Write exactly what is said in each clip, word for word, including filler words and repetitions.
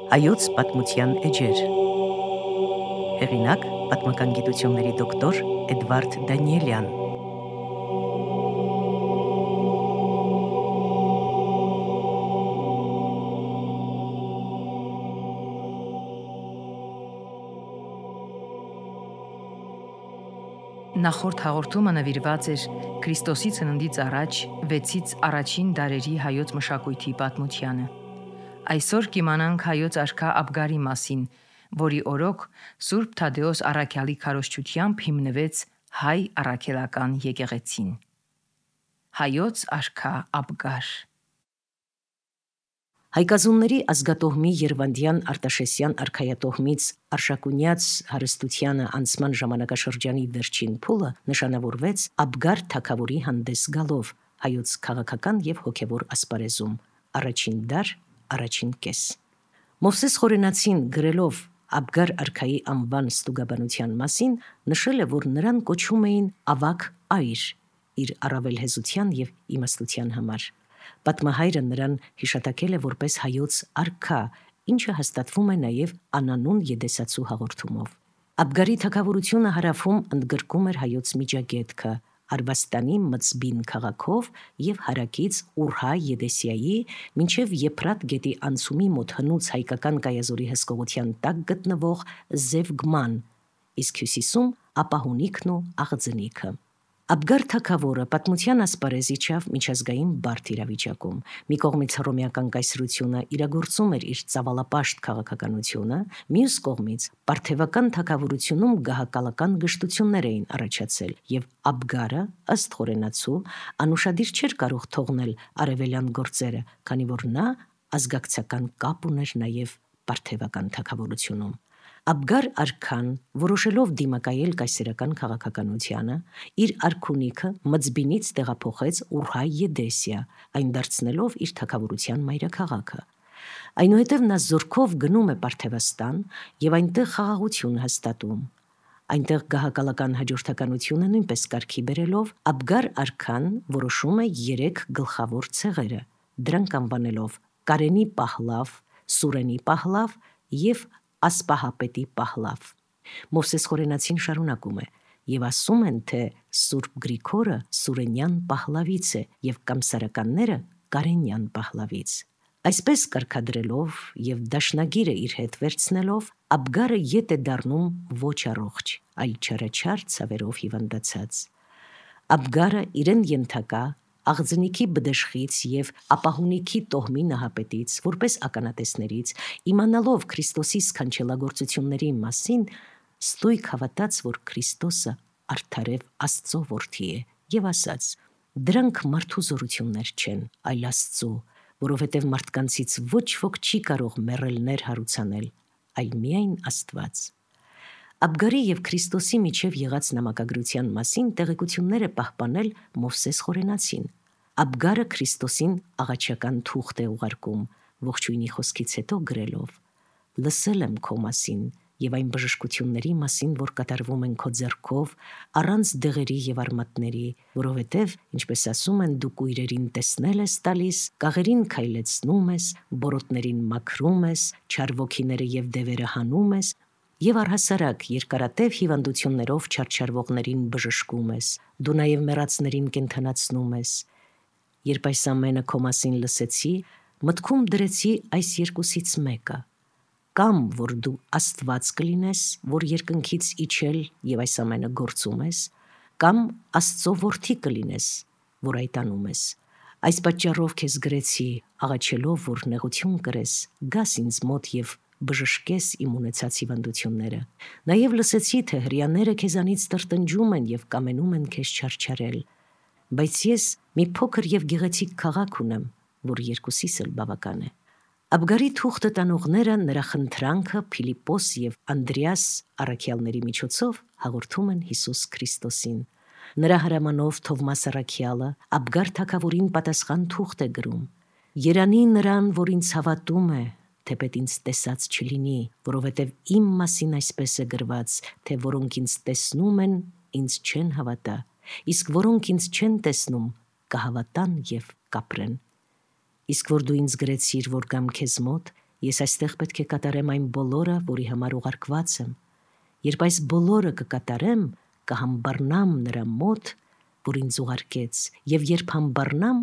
Հայոց պատմության էջեր։ Հեղինակ՝ պատմական գիտությունների դոկտոր Էդվարդ Դանիելյան։ Նախորդ հաղորդումը նվիրված էր Քրիստոսի ծննդից առաջ վեցից առաջին դարերի հայոց մշակույթի պատմությանը։ Այսօր կիմանանք հայոց արքա Աբգարի մասին, որի օրոք Սուրբ Թադեոս առաքյալի քարոզչությամբ հիմնվեց հայ առաքելական եկեղեցին։ Հայոց արքա Աբգար։ Հայկազունների ազգատոհմի Երվանդյան Արտաշեսյան արքայատոհմից Արշակունյաց հարստությանը անցման ժամանակաշրջանի վերջին փուլը նշանավորվեց Աբգար թագավորի հանդես գալով հայոց քաղաքական եւ հոգեվոր ասպարեզում, առաջին դար, առաջին կես։ Մովսես Խորենացին գրելով Աբգար արքայի անվան ստուգաբանության մասին նշել է, որ նրան կոչում էին ավագ այր իր առավելհեզության եւ իմաստության համար։ Պատմահայրը նրան հիշատակել է որպես հայոց արքա, ինչը հաստատվում է նաև անանուն Եդեսացու հաղորդումով։ Աբգարի թագավորությունը հարավում ընդգրկում էր հայոց միջագետքը, Արվաստանի Մծբին քաղաքով եւ հարակից Ուրհա Եդեսիայի մինչև Եփրատ գետի անցումի մոտ հնուց հայկական կայազորի հսկողության տակ գտնվող Զևգման, իսկ հյուսիսում Ապահունիքն ու Աղձնիքը։ Աբգար թագավորը պատմության ասպարեզ իջավ միջազգային բարդ իրավիճակում։ Մի կողմից հռոմեական կայսրությունը իրագործում էր իր ծավալապաշտ քաղաքականությունը, մյուս կողմից պարթևական թագավորությունում գահակալական գժտություններ էին առաջացել, եւ Աբգարը, ըստ Խորենացու, անուշադիր չէր կարող թողնել արևելյան գործերը, քանի որ նա ազգակցական կապ ուներ նաև պարթևական թագավորությունում։ Աբգար արքան, որոշելով դիմակայել կայսերական քաղաքականությանը, իր արքունիքը Մծբինից տեղափոխեց Ուրհա Եդեսիա, այն դարձնելով իր թագավորության մայրաքաղաքը։ Այնուհետև նա զորքով գնում է Պարթևաստան եւ այնտեղ խաղաղություն հաստատում։ Այնտեղ գահակալական հաջորդականությունը նույնպես կարգի բերելով Աբգար արքան որոշում է երեք գլխավոր ցեղերը, դրանք անվանելով Կարենի Պահլավ, Սուրենի Պահլավ եւ Ասպահապետի Պահլավ։ Մովսես Խորենացին շարունակում է. եւ ասում են, թե Սուրբ Գրիգորը Սուրենյան Պահլավից է եւ կամսարականները Կարենյան Պահլավից։ Այսպես կարգադրելով եւ դաշնագիրը իր հետ վերցնելով Աբգարը ետ է դառնում ոչ առողջ, այլ չարաչար ցավերով հիվանդացած։ Աբգարը իրեն ենթակա Աղձնիքի բդեշխից եւ Ապահունիքի տոհմի նահապետից, որպես ականատեսներից, իմանալով Քրիստոսի սքանչելագործությունների մասին, ստույգ հավատաց, որ Քրիստոսը արդարև Աստծո որդի է, եւ ասաց. «Դրանք մարդու զորություններ չեն, այլ Աստծո, որովհետեւ մարդկանցից ոչ ոք չի կարող մեռելներ հարուցանել, այլ միայն Աստված»։ Աբգարի եւ Քրիստոսի միջև եղած նամակագրության մասին տեղեկություններ է պահպանել Մովսես Խորենացին։ Աբգարը Քրիստոսին աղաչական թուղթ է ուղարկում, ողջույնի խոսքից հետո գրելով. «Լսել եմ քո մասին եւ այն բժշկությունների մասին, որ կատարվում են քո ձեռքով, առանց դեղերի եւ արմատների, որովհետեւ, ինչպես ասում են, դու կույրերին տեսնել ես տալիս, կաղերին քայլեցնում ես, բորոտներին մաքրում ես, չար ոգիները եւ դևերը հանում ես, եւ առհասարակ երկարատև հիվանդություններով չարչարվողներին բժշկում ես, դու նաեւ մեռածներին կենդանացնում ես։ Երբ այս ամենը քո մասին լսեցի, մտքում դրեցի այս երկուսից մեկը. կամ որ դու Աստված կլինես, որ երկնքից իջել եւ այս ամենը գործում ես, կամ Աստծո որդի կլինես, որ այդ անում ես։ Այս պատճառով քեզ գրեցի, աղաչելով, որ նեղություն կրես, գաս ինձ մոտ եւ բժշկես իմ ունեցած հիվանդությունները։ Նաեւ լսեցի, թե հրեաները քեզանից տրտնջում են եւ կամենում են քեզ չարչարել։ Բայց ես մի փոքր եւ գեղեցիկ քաղաք ունեմ, որ երկուսիս էլ բավական է։ Աբգարի թուղթը տանողները նրա խնդրանքը Փիլիպպոս եւ Անդրեաս առաքյալների միջոցով հաղորդում են Հիսուս Քրիստոսին։ Նրա հրամանով Թովմաս առաքյալը Աբգար թագավորին պատասխան թուղթ է գրում. «Երանի նրան, որ ինձ հավատում է, թեպետ ինձ տեսած չլինի, որովհետև իմ մասին այսպես է գրված, թե որոնք ինձ տեսնում են, ինձ չեն հավատա, իսկ որոնք ինձ չեն տեսնում, կհավատան եւ կապրեն։ Իսկ որ դու ինձ գրեցիր, որ գամ քեզ մոտ, Ես այստեղ պետք է կատարեմ այն բոլորը, որի համար ուղարկված եմ։ Երբ այս բոլորը կկատարեմ, կհամբառնամ նրա մոտ, որ ինձ ուղարկեց, եւ երբ համբառնամ,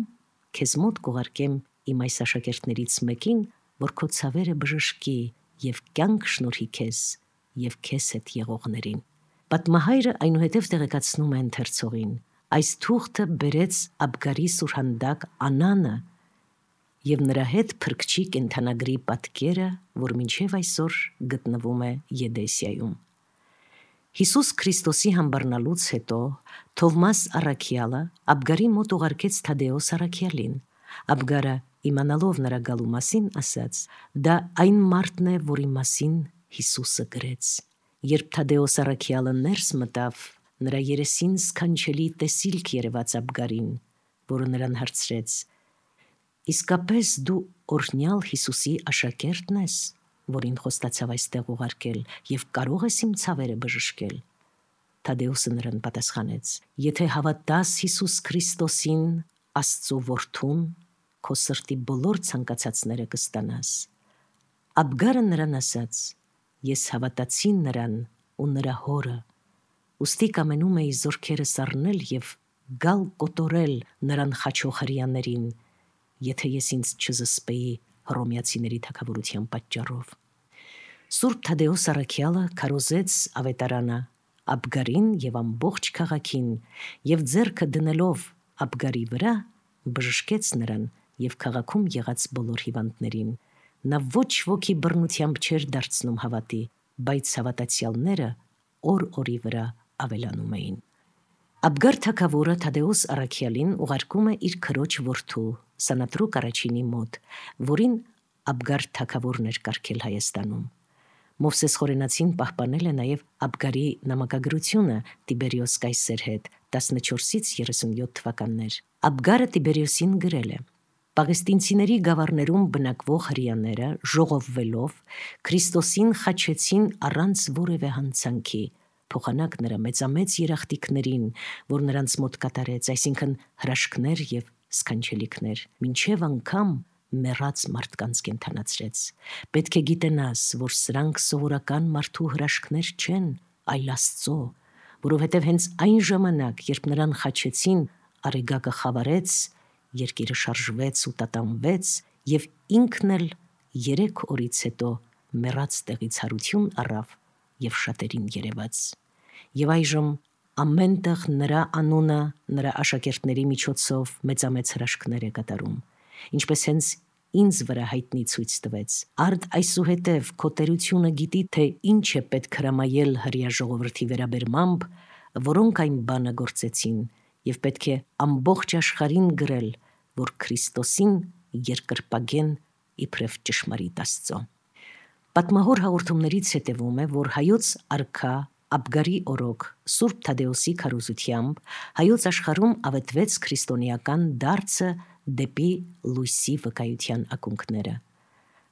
քեզ մոտ կուղարկեմ իմ այս աշակերտներից մեկին, որ քո ցավերը բժշկի եւ կյանք շնորհի քեզ եւ քեզ հետ եղողներին։ Պատմահայրը այնուհետև տեղեկացնում է ընթերցողին. այս թուղթը բերեց Աբգարի սուրհանդակ Անանը եւ նրա հետ փրկչի կենթանագրի պատկերը, որ մինչև այսօր գտնվում է Եդեսիայում։ Հիսուս Քրիստոսի համբռնալուց հետո Թովմաս առաքյալը Աբգարի մոտ ուղարկեց Թադեոս առաքյալին։ Աբգարը, իմանալով նրա գալու մասին, ասաց. դա այն մարդն է, որի մասին Հիսուսը գրեց։ Երբ Թադեոս առաքյալը ներս մտավ, նրա երեսին սքանչելի տեսիլք երևաց Աբգարին, որը նրան հարցրեց. իսկապես դու օրհնյալ Հիսուսի աշակերտն ես, որին խոստացավ այստեղ ուղարկել, եւ կարող ես իմ ցավերը բժշկել։ Թադեոսը նրան պատասխանեց. եթե հավատաս Հիսուս Քրիստոսին, Աստծո որդուն, քո սրտի բոլոր ցանկացածները կստանաս։ Աբգարը նրան ասաց. ես հավատացի նրան ու նրա հորը, ուստի կամենում էի զորքերս առնել եւ գալ կոտորել նրան խաչող հրեաներին, եթե ես ինձ չզսպեի հռոմեացիների թագավորության պատճառով։ Սուրբ Թադեոս առաքյալը քարոզեց ավետարանը Աբգարին եւ ամբողջ քաղաքին եւ ձեռքը դնելով Աբգարի վրա բժշկեց նրան եւ քաղաքում եղած բոլոր հիվանդներին։ Նա ոչ ոքի բռնությամբ չէր դարձնում հավատի, բայց հավատացյալները օր-օրի վրա ավելանում էին։ Աբգար թագավորը Թադեոս առաքյալին ուղարկում է իր քրոջ որդու Սանատրուկ առաջինի մոտ, որին Աբգար թագավորն էր կարգել Հայաստանում։ Մովսես Խորենացին պահպանել է նաև Աբգարի նամակագրությունը Տիբերիոս կայսեր հետ տասնչորսից երեսունյոթ թվականներ։ Աբգարը Տիբերիոսին գրել է. Պաղեստինցիների գավառներում բնակվող հրեաները ժողովվելով Քրիստոսին խաչեցին առանց որևէ հանցանքի, փոխանակ նրա մեծամեծ երախտիկներին, որ նրանց մոտ կատարեց, այսինքն հրաշքներ եւ սքանչելիքներ, մինչև անգամ մեռած մարդկանց կենթանացրեց։ Պետք է գիտենաս, որ սրանք սովորական մարդու հրաշքներ չեն, այլ Աստծո, որովհետև հենց այն ժամանակ, երբ նրան խաչեցին, արեգակը խավարեց, երկիրը շարժվեց ու տատանվեց, եւ ինքն էլ երեք օրից հետո մեռած տեղից հարություն առավ եւ շատերին երևաց։ Եվ այժմ ամենտեղ նրա անունը, նրա աշակերտների միջոցով մեծամեծ հրաշքներ է կատարում, ինչպես հենց ինձ վրա հայտնի ցույց տվեց։ Արդ այսուհետև քո տերությունը գիտի, թե ինչ է պետք հրամայել հրեա ժողովրդի վերաբերմամբ, որոնք այն բանը գործեցին, եւ պետք է ամբողջ աշխարհին գրել, որ Քրիստոսին երկրպագեն իբրև ճշմարիտ Աստծո։ Պատմահոր հաղորդումներից հետևում է, որ հայոց արքա Աբգարի օրոք Սուրբ Թադեոսի քարոզությամբ հայոց աշխարհում ավետվեց քրիստոնեական դարձը դեպի լույսի վկայության ակունքները։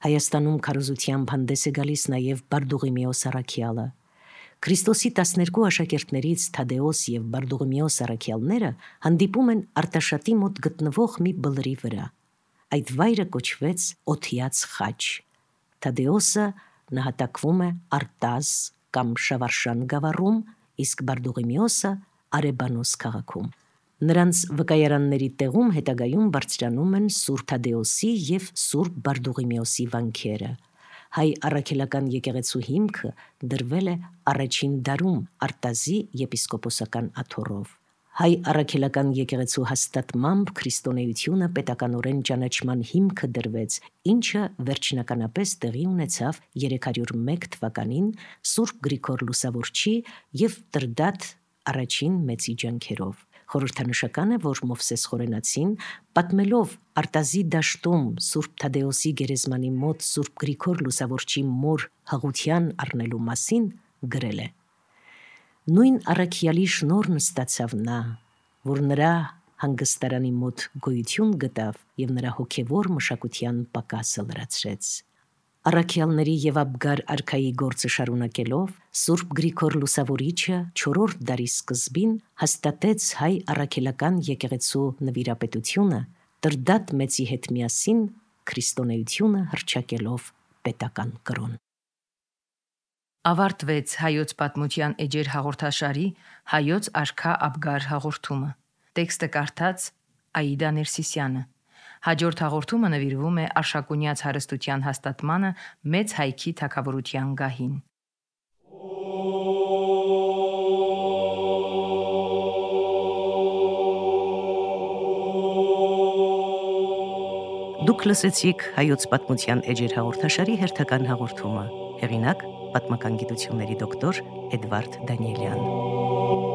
Հայաստանում քարոզությամբ հանդես է գալիս նաև Բարդուղիմեոս առաքյալը։ Քրիստոսի տասներկու աշակերտներից Թադեոս եւ Բարդուղիմեոս առաքյալները հանդիպում են Արտաշատի մոտ գտնվող մի բլրի վրա։ Այդ վայրը կոչվեց Օթիաց խաչ։ Թադեոսը նահատակվում է Արտազ կամ Շավարշան գավառում, իսկ Բարդուղիմեոսը Արեբանոս քաղաքում։ Նրանց վկայարանների տեղում հետագայում բարձրանում են Սուրբ Թադեոսի եւ Սուրբ Բարդուղիմեոսի վանքերը։ Հայ առաքելական եկեղեցու հիմքը դրվել է առաջին դարում Արտազի եպիսկոպոսական աթոռով։ Հայ առաքելական եկեղեցու հաստատմամբ քրիստոնեությունը պետականորեն ճանաչման հիմքը դրվեց, ինչը վերջնականապես տեղի ունեցավ երեք հարյուր մեկ թվականին Սուրբ Գրիգոր Լուսավորչի եւ Տրդատ առաջին մեծի ջանքերով։ Խորհրդանշական է, որ Մովսես Խորենացին, պատմելով Արտազի դաշտում Սուրբ Թադեոսի գերեզմանի մոտ Սուրբ Գրիգոր Լուսավորչի մոր հղության առնելու մասին, գրել է. Նույն առաքյալի շնորհն ստացավ նա, որ նրա հանգստարանի մոտ գոյություն գտավ եւ նրա հոգեվոր մշակության պակասը լրացրեց։ Առաքյալների եւ Աբգար արքայի գործը շարունակելով Սուրբ Գրիգոր Լուսավորիչը չորրորդ դարի սկզբին հաստատեց հայ առաքելական եկեղեցու նվիրապետությունը Տրդատ մեծի հետ միասին քրիստոնեությունը հռչակելով պետական կրոն։ Ավարտվեց հայոց պատմության էջեր հաղորդաշարի հայոց աշխա Աբգար հաղորդումը։ Տեքստը կարդաց Աիդա Ներսիսյանը։ Հաջորդ հաղորդումը նվիրվում է Արշակունյաց հարստության հաստատմանը Մեծ հայքի թագավորության գահին։ Դուք լսեցիք հայոց պատմության էջեր հաղորդաշարի հերթական հաղորդումը։ Հեղինակ՝ պատմական գիտությունների դոկտոր Էդվարդ Դանիելյան։